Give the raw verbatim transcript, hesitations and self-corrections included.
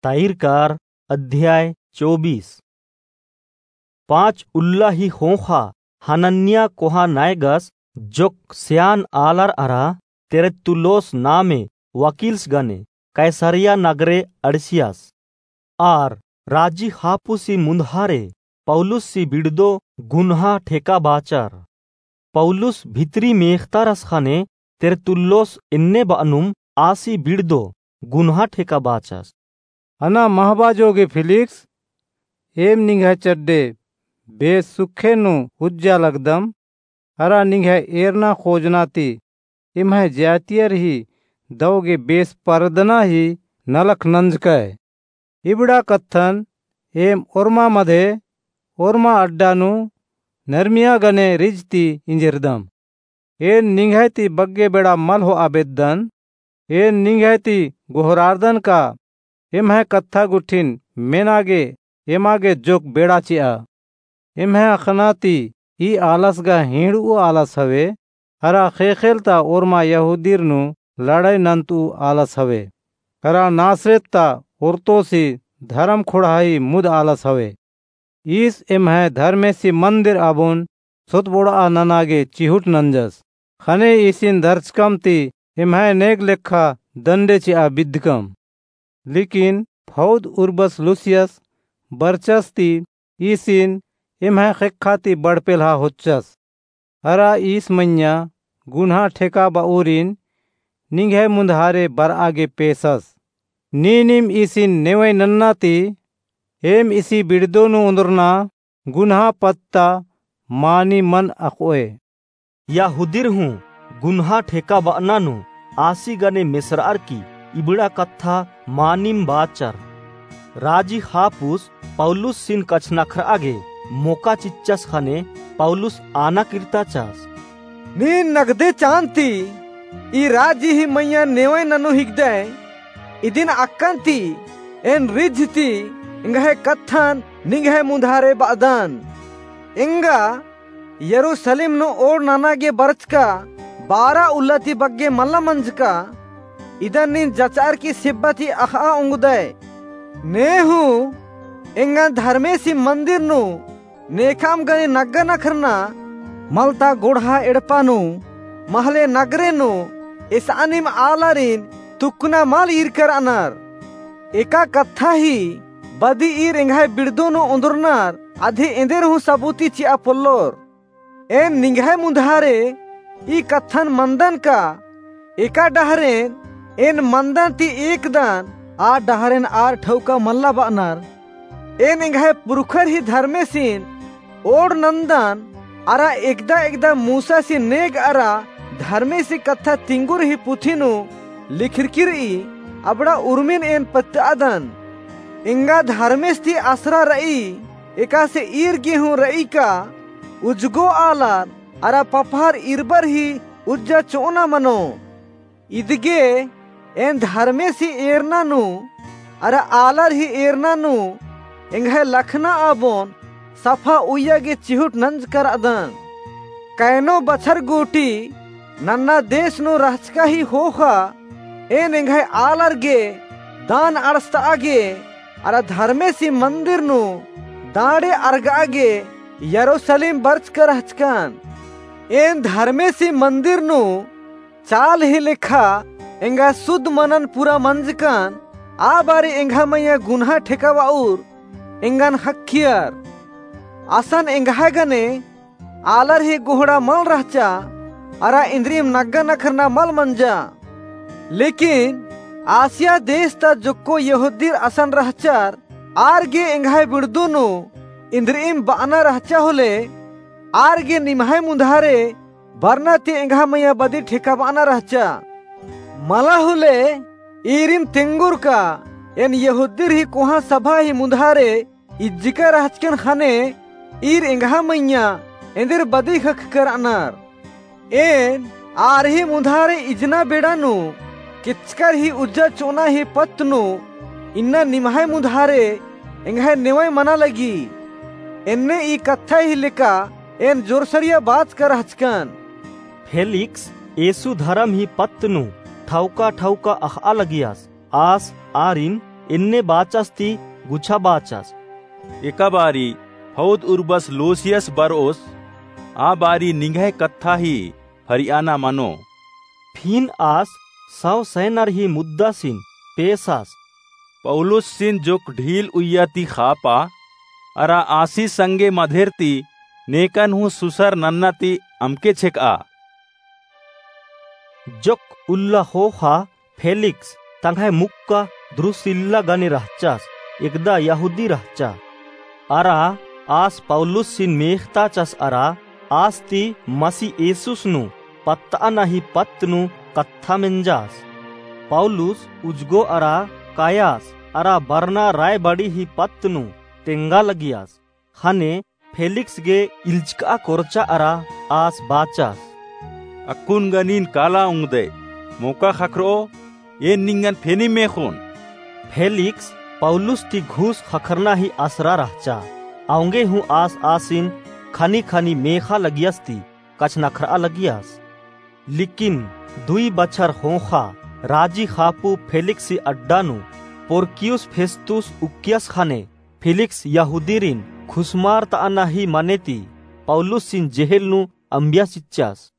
तैरकार अध्याय चौबीस। पाँच उल्ला ही ख़ोख़ा हनन्याह कोहा नायगस जोक्क स्यान आलर अरा तेरतुल्लोस नामे वकील्स गने कैसरिया नगरे अंड़सियस। आर राजी हापुसी मुन्दहारे पौलुसी बिड़दो गुन्हा ठेका बाचर। पौलुस भितरी मेख़तारस ख़ने तेरतुल्लोस एन्ने बअनुम आसी बिड़दो गुन्हा ठेका बाचस। अना महबा जोगे फिलिक्स, एम निंग्है चड्डे बेस सुखे नू उज्जा लगदम, अरा निंग्है एरना खोजना ती एम्है ज्यातियर ही दौ गे बेस परदना ही नलख नंजकय। इबड़ा कत्थन एम ओर्मा मधे ओर्मा अड्डा नू नरमिया गने रिझ ती इंजेरदम। एन निंग्है ती बग्गे बेड़ा मल होआ बेद्दन, एन निंग्है ती गोहरारदन का एम्है कत्था गुट्ठिन मेना गे एमा गे जोक्क बेड़ा चिआ। एम्है अख़ना ती ई आलस गा हींड़ऊ आलस हवे, अरा ख़ेख़ेल ता ओर्मा यहूदीर नू लड़ाई नन्तऊ आलस हवे, अरा नासरेत ता ओर्तोसी धरम खोंड़हा ही मुद आलस हवे। ईस एम्है धर्मेसी मन्दिर आबोन सोतबोड़आ नना गे चिहुट नंजस। ख़ने ईसिन धरचकम ती एम्है नेग लेखा दण्डे चिआ बिद्दकम। लेकिन फौद उर्बस लूसियस बरचस ती ईसिन एम्है ख़ेक्खा ती बड़पेल्हा होच्चस। अरा ईस मइय्याँ गुन्हा ठेका बऊरिन निंग्है मुन्दहारे बरआ गे पेसस। नीनिम ईसिन नेवई नन्ना ती एम ईसी बिड़दो नू ओन्दरना गुन्हा पत्त ता मानिम मल अख़ओय। यहूदीर हूँ गुन्हा ठेका बअना नू आसी गने मेसरअर की इबड़ा कत्था मानिम बाचर। राजी हापुस पौलुसिन कछनखरआ गे मोका चिच्चस ख़ने पौलुस आना किर्ताचस। नीन नगदे चान ती ई राजी ही मइय्याँ नेवई ननू हिकदय, इदिन अक्कन ती एन रिझ ती एंग्है कत्थन निंग्है मुन्दहारे बअदन। एंगा यरूसलेम नू ओड़ नना गे बरचका बारा उल्ला ती बग्गे मल्ला मंजका। इदन नीन जचअर की सिब्बा ती अख़आ ओंगदय। ने हूँ एंगन धर्मेसी मन्दिर नू नेखाम गने नग्गा नखरना मलता गोड़हा एड़पा नू महले नगरे नू एसानिम आलारिन तुक्कना मल ईरकर अनर। एका कत्था ही बदी ईर एंग्है बिड़दो नू ओन्दरनर अधे एन्देर हूँ सबूती चिआ पोल्लोर। एन निंग्है मुन्दहारे ई कत्थन मन्दन का एका डहरेन एन मन्दन ती एकदन आ डहरेन आर ठौका मल्ला बअनर। एन एंग्है पुरखर ही धर्मेसिन ओड़ नन्दन अरा एकदा एकदा मूसासी नेग अरा धर्मेसी कत्था तिंगुर ही पुथी नू लिखरकी रई अबड़ा उर्मिन एन पत्तअदन। एंगा धर्मेस ती असरा रई एकासे ईर गे हूँ रई का उजगो आलर अरा पपहर ईरबर ही उज्जा चोअना मनो। इदगे एन धर्मेसी एरना नू अरा आलर ही एरना नू एंग्है लखना आबोन सफा उइया गे चिहुट नंजकर अदन। कैनो बछर गूटी नन्ना देश नू रहचका ही ख़ोख़ा एन एंग्है आलर गे दान अंड़सतआ गे अरा धर्मेसी मन्दिर नू दांड़े अरगआ गे यरूसलेम बरचका रहचकन। एन धर्मेसी मन्दिर नू चाल ही लेखा एंगा सुध मनन पूरा मंजकन, आ बारी एंग्है मइय्याँ गुन्हा ठेकाबअर एंगन ख़क्खियर। असन एंग्है गने आलर ही गोहड़ा मल रहचा, अरा इन्द्रिइम नग्गा नखरना मल मंजा। लेकिन आसिया देश ता जोक्को यहूदीर असन रहचर, आर गे एंग्है बिड़दो नू इन्द्रिइम बअना रहचा होले, आर गे निम्है मुन्धारे बरना ती एंग्है मइय्याँ बदी ठेकाबअना रहचा। मला होले ईरिम तेंगोर का एन यहूदीर ही कोहाँ सभा ही मुन्धारे इज्जिका रहचकन ख़ने ईर एंग्है मइय्याँ एन्देर बदी ख़क्खकर अनर। एन आर ही मुन्धारे इजना बेड़ा नू केचकर ही उज्जा चोअना ही पत्त नू इन्ना निम्है मुन्धारे एंग्है नेवई मना लगी। एन्ने ई कत्था ही लेका एन जोरसरिया बाचका रहचकन। फेलिक्स येसु धरम ही पत्त नू ठौका ठौका अख़आ लगियस, आस आरिन एन्ने बाचस ती गुछा बाचस। एका बारी फौद उर्बस लोसियस बरओस, आ बारी निंग्है कत्था ही फरियाना मनो। फिन आस सौ सैनर ही मुद्दासिन पेसास। पौलुसिन जोक ढील उइया ती खापा, अरा आसी संगे मधेर ती नेकन हूँ सुसर नन्ना ती अमके छेकआ। जोक उल्ला ख़ोख़ा फेलिक्स तंग्है मुक्का द्रुसिल्ला गने रहचस, एकदा यहूदी रहचा। अरा आस पौलुसिन मेख़ताचस अरा आस ती मसी येसुस नू पत्तअना ही पत्त नू कत्था मेंजास। पौलुस उजगो अरा कायास अरा बरना राय बड़ी ही पत्त नू तेंगा लगियस। ख़ने फेलिक्स गे इल्चकआ कोरचा अरा आस बाचस। अक्कुन गनिन काला ओंगदय, मोका ख़क्खरओ, एन निंगन फेनी मेख़ोन। फेलिक्स पौलुस ती घूस ख़क्खरना ही असरा रहचा। औंगे हूँ आस आसिन ख़नी ख़नी मेख़ा लगियस ती कछनखरआ लगियस। लेकिन दुई बछर ख़ोख़ा राजी ख़ापू फेलिक्स ही अड्डा नू पोर्कियुस फेस्तुस उक्कियस ख़ने फेलिक्स यहूदीरिन खुसमारतअना ही मने ती पौलुसिन जेहेल नू अम्बिया चिच्चस।